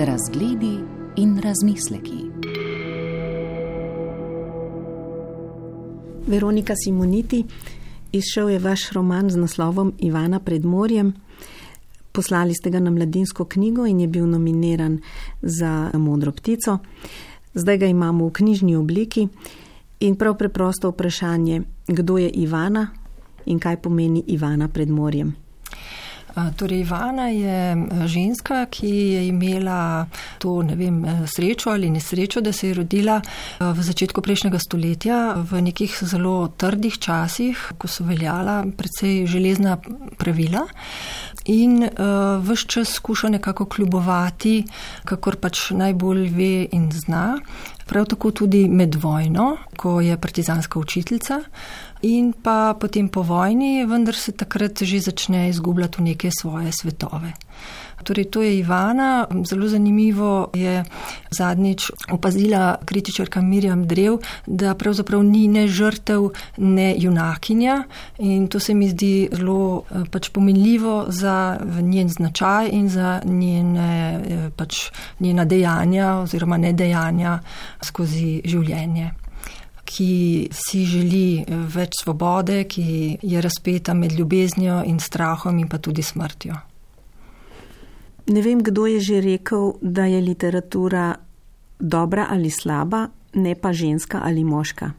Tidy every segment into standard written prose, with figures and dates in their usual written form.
Razgledi in razmisleki. Veronika Simoniti, izšel je vaš roman z naslovom Ivana pred morjem. Poslali ste ga na Mladinsko knjigo in je bil nominiran za Modro ptico. Zdaj ga imamo v knjižni obliki in prav preprosto vprašanje, kdo je Ivana in kaj pomeni Ivana pred morjem. Torej, Ivana je ženska, ki je imela to, srečo ali nesrečo, da se je rodila v začetku prejšnjega stoletja v nekih zelo trdih časih, ko so veljala precej železna pravila in ves čas skuša nekako kljubovati, kakor pač najbolj ve in zna. Prav tako tudi med vojno, ko je partizanska učiteljica, in pa potem po vojni, vendar se takrat že začne izgubljati v neke svoje svetove. Torej, to je Ivana. Zelo zanimivo je zadnjič opazila kritičarka Mirjam Drev, da pravzaprav ni ne žrtev, ne junakinja, in to se mi zdi zelo pomenljivo za njen značaj in za njena dejanja oziroma nedejanja skozi življenje, ki si želi več svobode, ki je razpeta med ljubeznijo in strahom in pa tudi smrtjo. Ne vem, kdo je že rekel, da je literatura dobra ali slaba, ne pa ženska ali moška.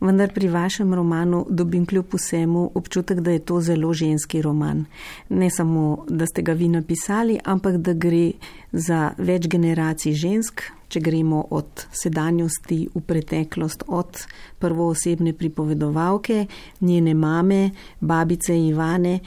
Vendar pri vašem romanu dobim kljub vsemu občutek, da je to zelo ženski roman. Ne samo, da ste ga vi napisali, ampak da gre za več generacij žensk, če gremo od sedanjosti v preteklost, od prvoosebne pripovedovalke, njene mame, babice Ivane.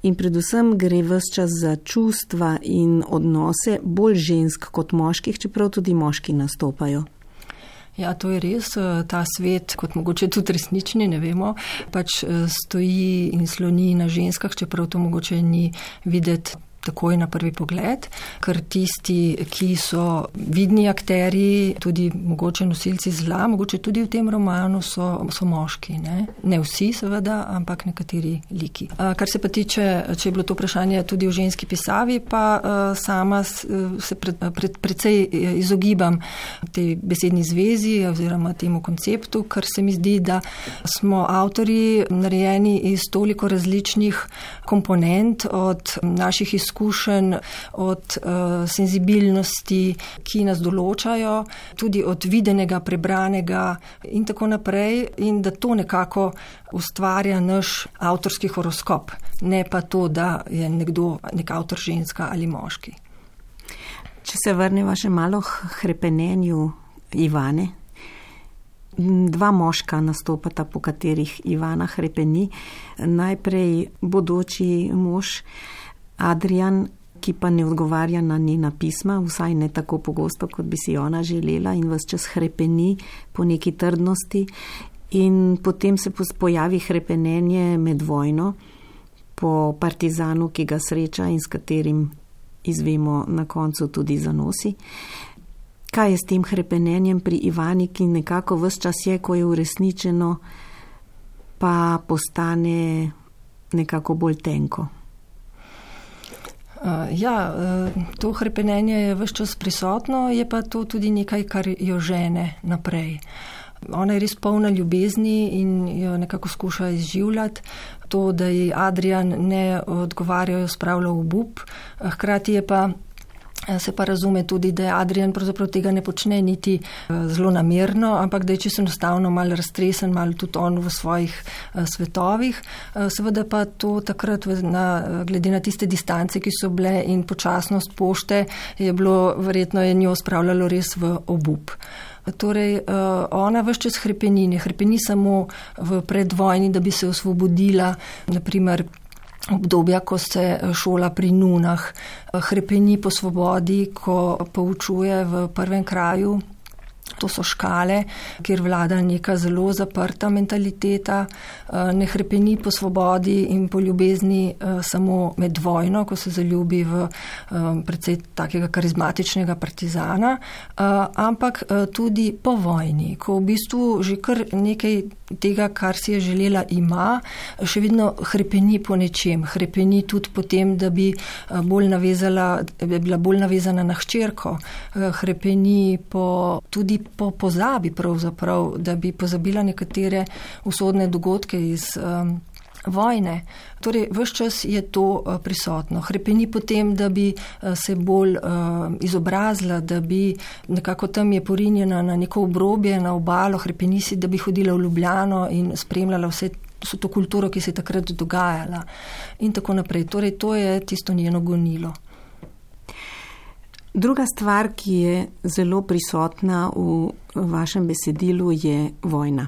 In predvsem gre ves čas za čustva in odnose bolj žensk kot moških, čeprav tudi moški nastopajo. Ja, to je res. Ta svet, kot mogoče tudi resnični, ne vemo, stoji in sloni na ženskah, čeprav to mogoče ni videti takoj na prvi pogled, ker tisti, ki so vidni akteri, tudi mogoče nosilci zla, mogoče tudi v tem romanu so moški. Ne vsi seveda, ampak nekateri liki. Kar se pa tiče, če je bilo to vprašanje tudi v ženski pisavi, pa sama se precej izogibam tej besedni zvezi oziroma temu konceptu, ker se mi zdi, da smo avtorji narejeni iz toliko različnih komponent, od naših izkušenj, od senzibilnosti, ki nas določajo, tudi od videnega, prebranega in tako naprej, in da to nekako ustvarja naš avtorski horoskop, ne pa to, da je nekdo nek avtor ženska ali moški. Če se vrneva še malo k hrepenenju Ivane, dva moška nastopata, po katerih Ivana hrepeni. Najprej bodoči mož Adrian, ki pa ne odgovarja na njena pisma, vsaj ne tako pogosto, kot bi si ona želela, in ves čas hrepeni po neki trdnosti. In potem se pojavi hrepenenje med vojno po partizanu, ki ga sreča in s katerim izvemo na koncu tudi zanosi. Kaj je s tem hrepenenjem pri Ivani, ki nekako ves čas je, ko je uresničeno, pa postane nekako bolj tenko? To hrepenenje je ves čas prisotno, je pa to tudi nekaj, kar jo žene naprej. Ona je res polna ljubezni in jo nekako skuša izživljati. To, da ji Adrian ne odgovarja, jo spravlja v obup. Hkrati se pa razume tudi, da je Adrian pravzaprav tega ne počne niti zelo namerno, ampak da je čisto enostavno malo raztresen, malo tudi on v svojih svetovih. Seveda pa to takrat, glede na tiste distance, ki so bile, in počasnost pošte, verjetno je njo spravljalo res v obup. Torej, ona ves čas hrepeni, ne hrepeni samo v predvojni, da bi se osvobodila, naprimer obdobja, ko se šola pri nunah, hrepeni po svobodi, ko poučuje v prvem kraju To so škale, kjer vlada neka zelo zaprta mentaliteta, ne hrepeni po svobodi in po ljubezni samo med vojno, ko se zaljubi v precej takega karizmatičnega partizana, ampak tudi po vojni, ko v bistvu že kar nekaj tega, kar si je želela, ima, še vedno hrepeni po nečem, hrepeni tudi po tem, da bi bila bolj navezana na hčerko, hrepeni tudi po pozabi pravzaprav, da bi pozabila nekatere usodne dogodke iz vojne. Torej, ves čas je to prisotno. Hrepeni potem, da bi se bolj izobrazila, da bi nekako tam je porinjena na neko obrobje, na obalo, hrepeni si, da bi hodila v Ljubljano in spremljala vse to kulturo, ki se je takrat dogajala in tako naprej. Torej, to je tisto njeno gonilo. Druga stvar, ki je zelo prisotna v vašem besedilu, je vojna.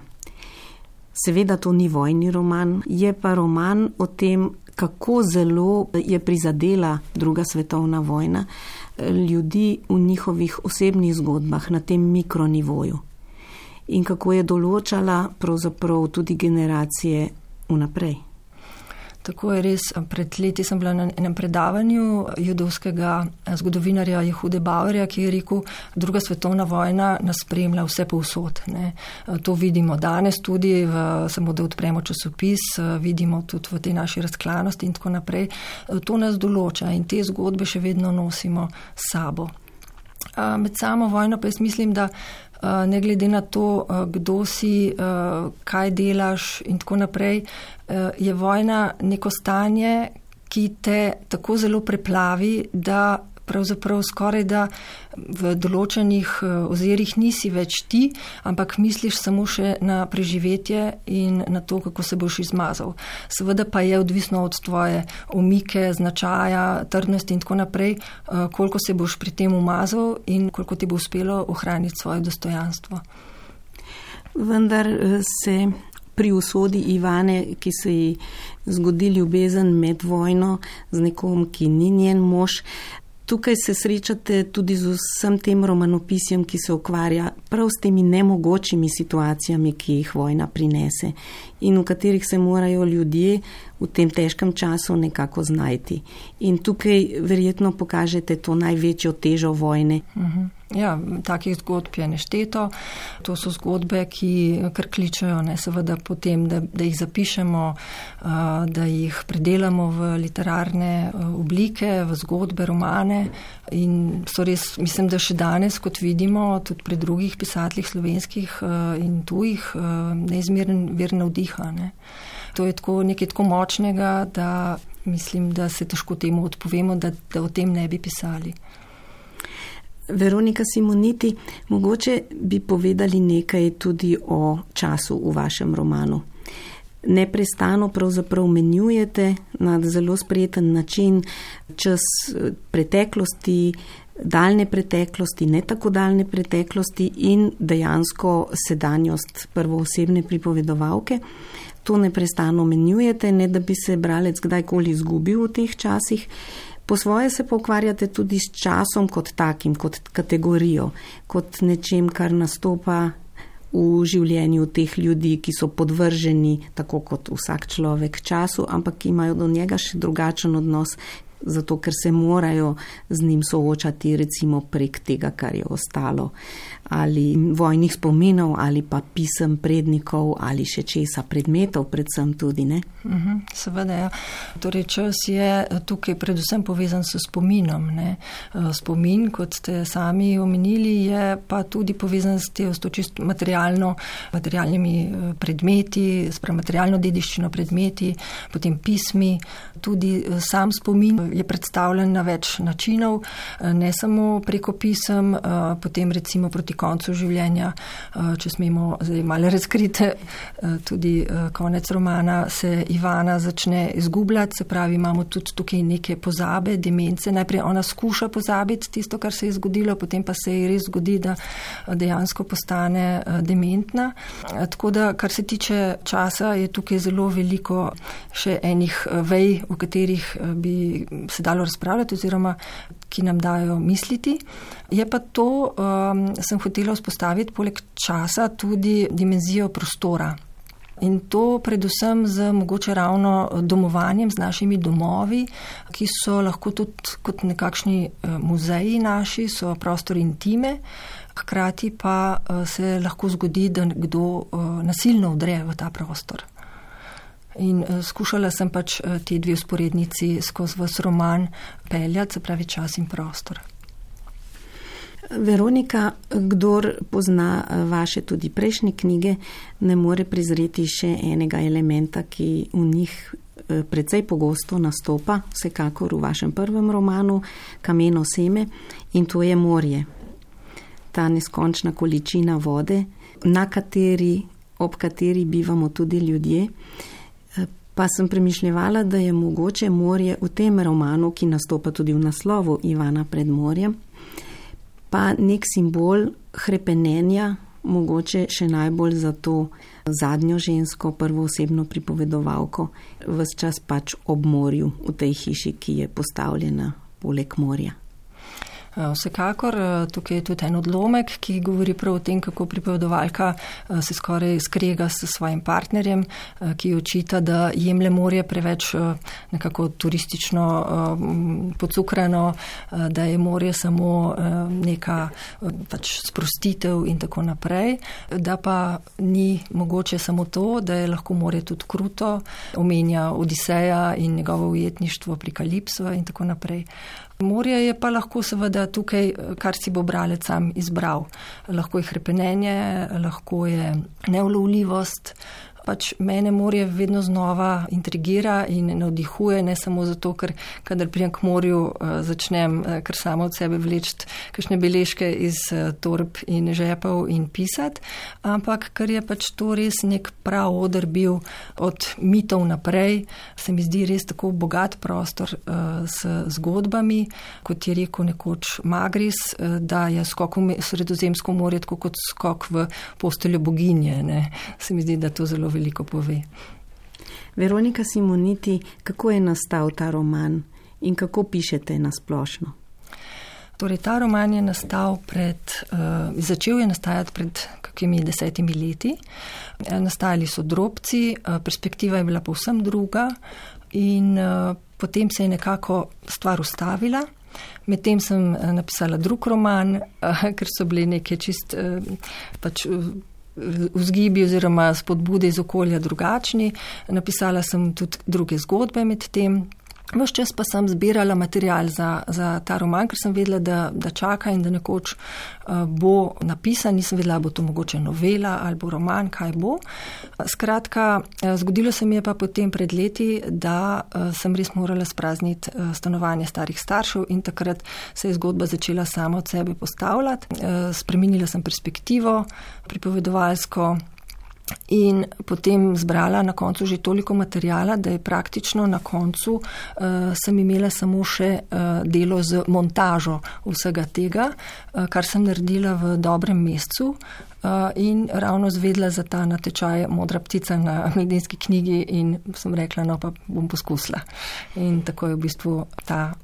Seveda to ni vojni roman, je pa roman o tem, kako zelo je prizadela druga svetovna vojna ljudi v njihovih osebnih zgodbah na tem mikronivoju in kako je določala pravzaprav tudi generacije vnaprej. Tako je res. Pred leti sem bila na enem predavanju judovskega zgodovinarja Jehude Bauerja, ki je rekel, druga svetovna vojna nas spremlja vse povsod. Ne. To vidimo danes tudi, samo da odpremo časopis, vidimo tudi v tej naši razklanosti in tako naprej. To nas določa in te zgodbe še vedno nosimo s sabo. Med samo vojno pa jaz mislim, da ne glede na to, kdo si, kaj delaš in tako naprej, je vojna neko stanje, ki te tako zelo preplavi, da pravzaprav skoraj da v določenih ozirih nisi več ti, ampak misliš samo še na preživetje in na to, kako se boš izmazal. Seveda pa je odvisno od tvoje omike, značaja, trdnosti in tako naprej, koliko se boš pri tem umazal in koliko ti bo uspelo ohraniti svoje dostojanstvo. Vendar se pri usodi Ivane, ki se ji zgodi ljubezen med vojno z nekom, ki ni njen mož, tukaj se srečate tudi z vsem tem romanopisjem, ki se ukvarja prav s temi nemogočimi situacijami, ki jih vojna prinese in v katerih se morajo ljudje v tem težkem času nekako znajti. In tukaj verjetno pokažete to največjo težo vojne. Ja, takih zgodb je nešteto. To so zgodbe, ki kar kličejo, seveda potem, da jih zapišemo, da jih predelamo v literarne oblike, v zgodbe, romane in so res, mislim, da še danes, kot vidimo, tudi pri drugih pisateljih slovenskih in tujih, neizmeren vir navdiha. Ne. To je nekaj tako močnega, da mislim, da se težko temu odpovemo, da o tem ne bi pisali. Veronika Simoniti, mogoče bi povedali nekaj tudi o času v vašem romanu. Neprestano pravzaprav menjujete na zelo sprejeten način čas preteklosti, daljne preteklosti, ne tako daljne preteklosti in dejansko sedanjost prvoosebne pripovedovalke. To neprestano menjujete, ne da bi se bralec kdajkoli izgubil v teh časih. Po svoje se pa ukvarjate tudi s časom kot takim, kot kategorijo, kot nečem, kar nastopa v življenju teh ljudi, ki so podvrženi, tako kot vsak človek, času, ampak imajo do njega še drugačen odnos, zato ker se morajo z njim soočati recimo prek tega, kar je ostalo, ali vojnih spominov, ali pa pisem prednikov, ali še česa, predmetov predvsem tudi, ne? Seveda, ja. Torej, čas je tukaj predvsem povezan s spominom, ne? Spomin, kot ste sami omenili, je pa tudi povezan s to čisto materialnimi predmeti, materialno dediščino predmeti, potem pismi, tudi sam spomin je predstavljen na več načinov, ne samo preko pisem, potem recimo proti koncu življenja, če smemo zdaj malo razkriti, tudi konec romana se Ivana začne izgubljati, se pravi, imamo tudi tukaj neke pozabe, demence. Najprej ona skuša pozabiti tisto, kar se je zgodilo, potem pa se ji res zgodi, da dejansko postane dementna. Tako da, kar se tiče časa, je tukaj zelo veliko še enih vej, v katerih bi se dalo razpravljati oziroma ki nam dajo misliti. Je pa to, sem hotela vzpostaviti poleg časa tudi dimenzijo prostora. In to predvsem z mogoče ravno domovanjem, z našimi domovi, ki so lahko tudi kot nekakšni muzeji naši, so prostor intime, hkrati pa se lahko zgodi, da kdo nasilno vdre v ta prostor. In skušala sem pač te dve vzporednici skozi vas roman peljati, se pravi čas in prostor. Veronika, kdor pozna vaše tudi prejšnje knjige, ne more prezreti še enega elementa, ki v njih precej pogosto nastopa, vsekakor v vašem prvem romanu Kameno seme, in to je morje. Ta neskončna količina vode, ob kateri bivamo tudi ljudje. Pa sem premišljevala, da je mogoče morje v tem romanu, ki nastopa tudi v naslovu Ivana pred morjem, pa nek simbol hrepenenja, mogoče še najbolj za to zadnjo žensko, prvoosebno pripovedovalko, ves čas pač ob morju v tej hiši, ki je postavljena poleg morja. Vsekakor, tukaj je tudi en odlomek, ki govori prav o tem, kako pripovedovalka se skoraj skrega s svojim partnerjem, ki očita, da jemlje morje preveč nekako turistično pocukrano, da je morje samo neka pač sprostitev in tako naprej, da pa ni mogoče samo to, da je lahko morje tudi kruto, omenja Odiseja in njegovo ujetništvo pri Kalipso in tako naprej. Morje je pa lahko seveda tukaj, kar si bo bralec sam izbral. Lahko je hrepenenje, lahko je neulovljivost. Pač mene morje vedno znova intrigira in navdihuje, ne samo zato, ker kadar prijem k morju, začnem kar samo od sebe vleči kakšne beležke iz torb in žepov in pisati, ampak ker je pač to res nek prav oder bil od mitov naprej, se mi zdi res tako bogat prostor s zgodbami, kot je rekel nekoč Magris, da je skok v Sredozemsko morje tako kot skok v posteljo boginje. Ne? Se mi zdi, da to zelo veliko pove. Veronika Simoniti, kako je nastal ta roman in kako pišete na splošno? Torej, ta roman je začel je nastajati pred kakimi 10 leti. Nastajali so drobci, perspektiva je bila povsem druga in potem se je nekako stvar ustavila. Medtem sem napisala drug roman, ker so bili neke čist vzgibi oziroma spodbude iz okolja drugačni. Napisala sem tudi druge zgodbe med tem. Ves čas pa sem zbirala material za ta roman, ker sem vedela, da čaka in da nekoč bo napisan. Nisem vedela, bo to mogoče novela ali bo roman, kaj bo. Skratka, zgodilo se mi je pa potem pred leti, da sem res morala sprazniti stanovanje starih staršev in takrat se je zgodba začela sama od sebe postavljati. Spremenila sem perspektivo pripovedovalsko in potem zbrala na koncu že toliko materijala, da je praktično na koncu sem imela samo še delo z montažo vsega tega, kar sem naredila v dobrem mesecu in ravno zvedla za ta natečaj Modra ptica na Mladinski knjigi in sem rekla, no pa bom poskusila. In tako je v bistvu ta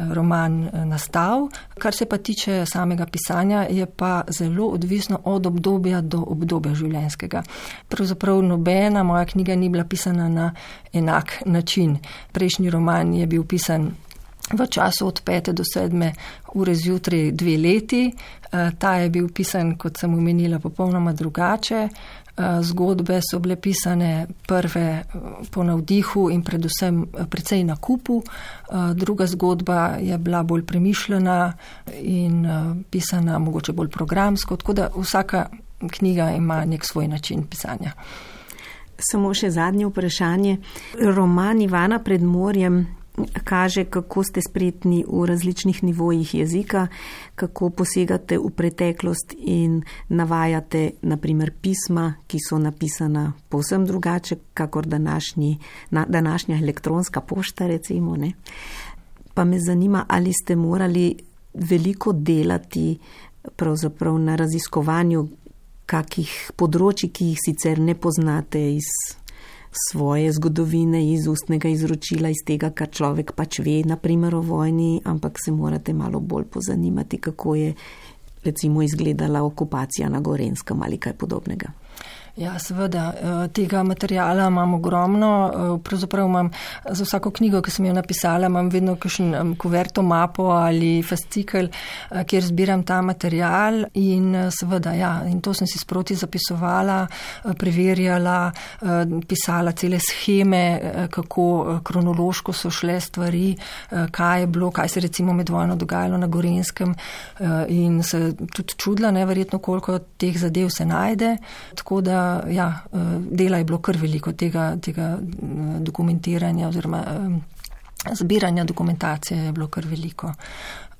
roman nastal. Kar se pa tiče samega pisanja, je pa zelo odvisno od obdobja do obdobja življenjskega. Pravzaprav nobena moja knjiga ni bila pisana na enak način. Prejšnji roman je bil pisan v času od 5 do 7 ure zjutraj 2 leti. Ta je bil pisan, kot sem omenila, popolnoma drugače. Zgodbe so bile pisane prve po navdihu in predvsem precej na kupu. Druga zgodba je bila bolj premišljena in pisana mogoče bolj programsko, tako da vsaka knjiga ima nek svoj način pisanja. Samo še zadnje vprašanje. Roman Ivana pred morjem kaže, kako ste spretni v različnih nivojih jezika, kako posegate v preteklost in navajate naprimer pisma, ki so napisana povsem drugače, kakor današnja elektronska pošta, recimo. Ne? Pa me zanima, ali ste morali veliko delati pravzaprav na raziskovanju kakih področji, ki jih sicer ne poznate iz svoje zgodovine iz ustnega izročila, iz tega, kar človek pač ve, naprimer o vojni, ampak se morate malo bolj pozanimati, kako je recimo izgledala okupacija na Gorenjskem ali kaj podobnega. Ja, seveda, tega materijala imam ogromno, pravzaprav imam za vsako knjigo, ki sem jo napisala, imam vedno kakšen kuverto, mapo ali fascikel, kjer zbiram ta materijal in seveda, ja, in to sem si sproti zapisovala, preverjala, pisala cele sheme, kako kronološko so šle stvari, kaj je bilo, kaj se recimo med vojno dogajalo na Gorenjskem in se tudi čudila, neverjetno koliko teh zadev se najde, tako da ja, dela je bilo kar veliko tega dokumentiranja oziroma zbiranja dokumentacije je bilo kar veliko.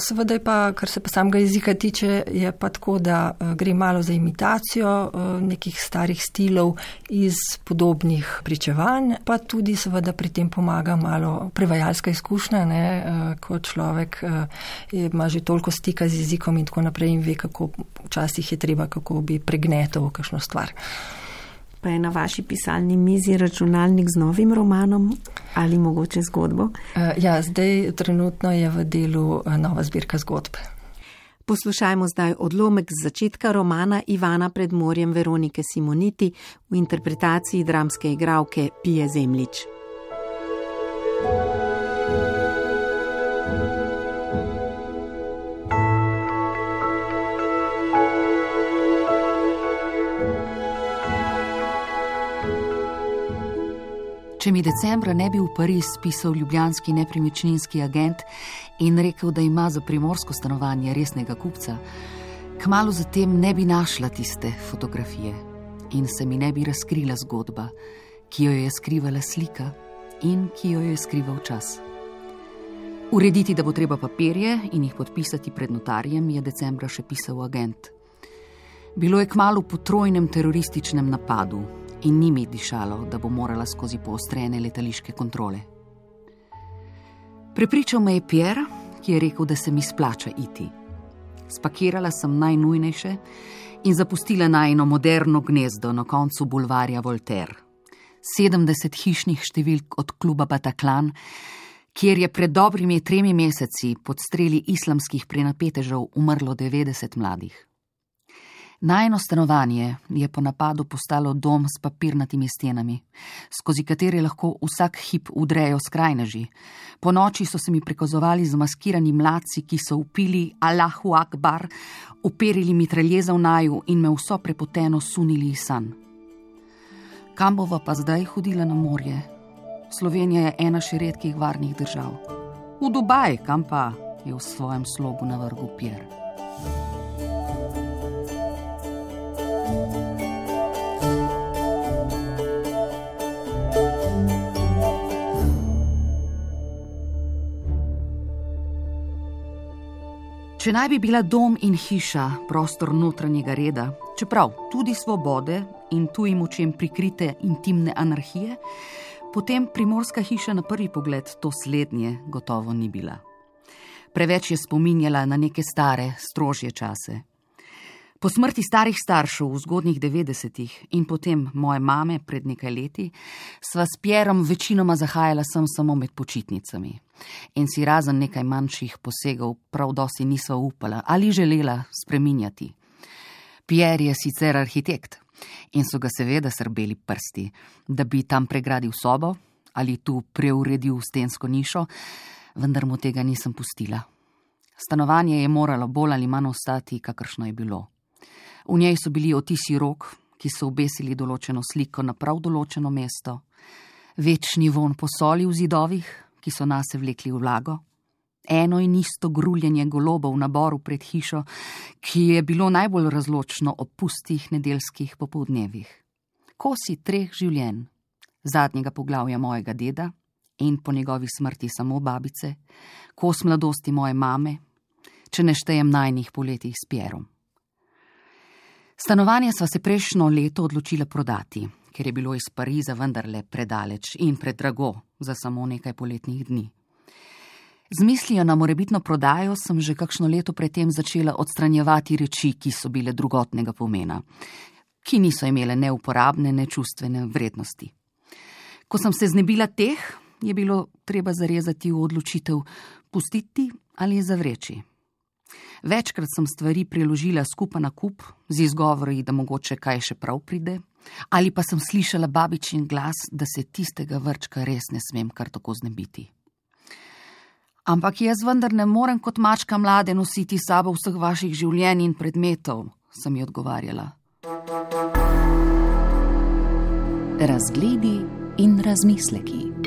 Seveda je pa, kar se pa samega jezika tiče, je pa tako, da gre malo za imitacijo nekih starih stilov iz podobnih pričevanj, pa tudi seveda pri tem pomaga malo prevajalska izkušnja, ne, ko človek ima že toliko stika z jezikom in tako naprej in ve, kako včasih je treba, kako bi pregnetal kakšno stvar. Pa je na vaši pisalni mizi računalnik z novim romanom ali mogoče zgodbo? Ja, zdaj trenutno je v delu nova zbirka zgodb. Poslušajmo zdaj odlomek z začetka romana Ivana pred morjem Veronike Simoniti v interpretaciji dramske igralke Pije Zemljič. Če mi decembra ne bi v Pariz pisal ljubljanski nepremičninski agent in rekel, da ima za primorsko stanovanje resnega kupca, kmalu zatem ne bi našla tiste fotografije in se mi ne bi razkrila zgodba, ki jo je skrivala slika in ki jo je skrival čas. Urediti, da bo treba papirje in jih podpisati pred notarjem, je decembra še pisal agent. Bilo je kmalu po trojnem terorističnem napadu in ni mi dišalo, da bo morala skozi poostrene letališke kontrole. Prepričal me je Pierre, ki je rekel, da se mi splača iti. Spakirala sem najnujnejše in zapustila najino moderno gnezdo na koncu bulvarja Voltaire. 70 hišnih številk od kluba Bataclan, kjer je pred dobrimi 3 meseci pod streli islamskih prenapetežev umrlo 90 mladih. Najino stanovanje je po napadu postalo dom s papirnatimi stenami, skozi katere lahko vsak hip udrejo skrajneži. Po noči so se mi prikazovali zamaskirani mladci, ki so vpili Allahu Akbar, uperili mitraljeza v naju in me vso prepoteno sunili iz sanj. Kam bova pa zdaj hodila na morje? Slovenija je ena še redkih varnih držav. V Dubaj, kam pa, je v svojem slogu navrgel Pierre. Če naj bi bila dom in hiša prostor notranjega reda, čeprav tudi svobode in tujim očem prikrite intimne anarhije, potem primorska hiša na prvi pogled to slednje gotovo ni bila. Preveč je spominjala na neke stare, strožje čase. Po smrti starih staršev v zgodnjih 90-ih in potem moje mame pred nekaj leti, sva s Pierom večinoma zahajala sem samo med počitnicami. In si razen nekaj manjših posegov prav dosti nisva upala ali želela spreminjati. Pierre je sicer arhitekt in so ga seveda srbeli prsti, da bi tam pregradil sobo ali tu preuredil stensko nišo, vendar mu tega nisem pustila. Stanovanje je moralo bolj ali manj ostati, kakršno je bilo. V njej so bili odtisi rok, ki so obesili določeno sliko na prav določeno mesto, večni vonj po soli v zidovih, ki so nase vlekli vlago, eno in isto gruljenje golobov na boru pred hišo, ki je bilo najbolj razločno ob pustih nedeljskih popoldnevih. Kosi 3 življenj, zadnjega poglavja mojega deda in po njegovi smrti samo babice, kos mladosti moje mame, če ne štejem najnih poletih s Pierom. Stanovanje sva se prejšnjo leto odločila prodati, ker je bilo iz Pariza vendarle predaleč in predrago za samo nekaj poletnih dni. Z mislijo na morebitno prodajo sem že kakšno leto predtem začela odstranjevati reči, ki so bile drugotnega pomena, ki niso imele ne uporabne, ne čustvene vrednosti. Ko sem se znebila teh, je bilo treba zarezati v odločitev, pustiti ali zavreči. Večkrat sem stvari preložila skupaj na kup, z izgovori, da mogoče kaj še prav pride, ali pa sem slišala babičin glas, da se tistega vrčka res ne smem kar tako znebiti. Ampak jaz vendar ne morem kot mačka mlade nositi sabo vseh vaših življenj in predmetov, sem ji odgovarjala. Razgledi in razmisleki.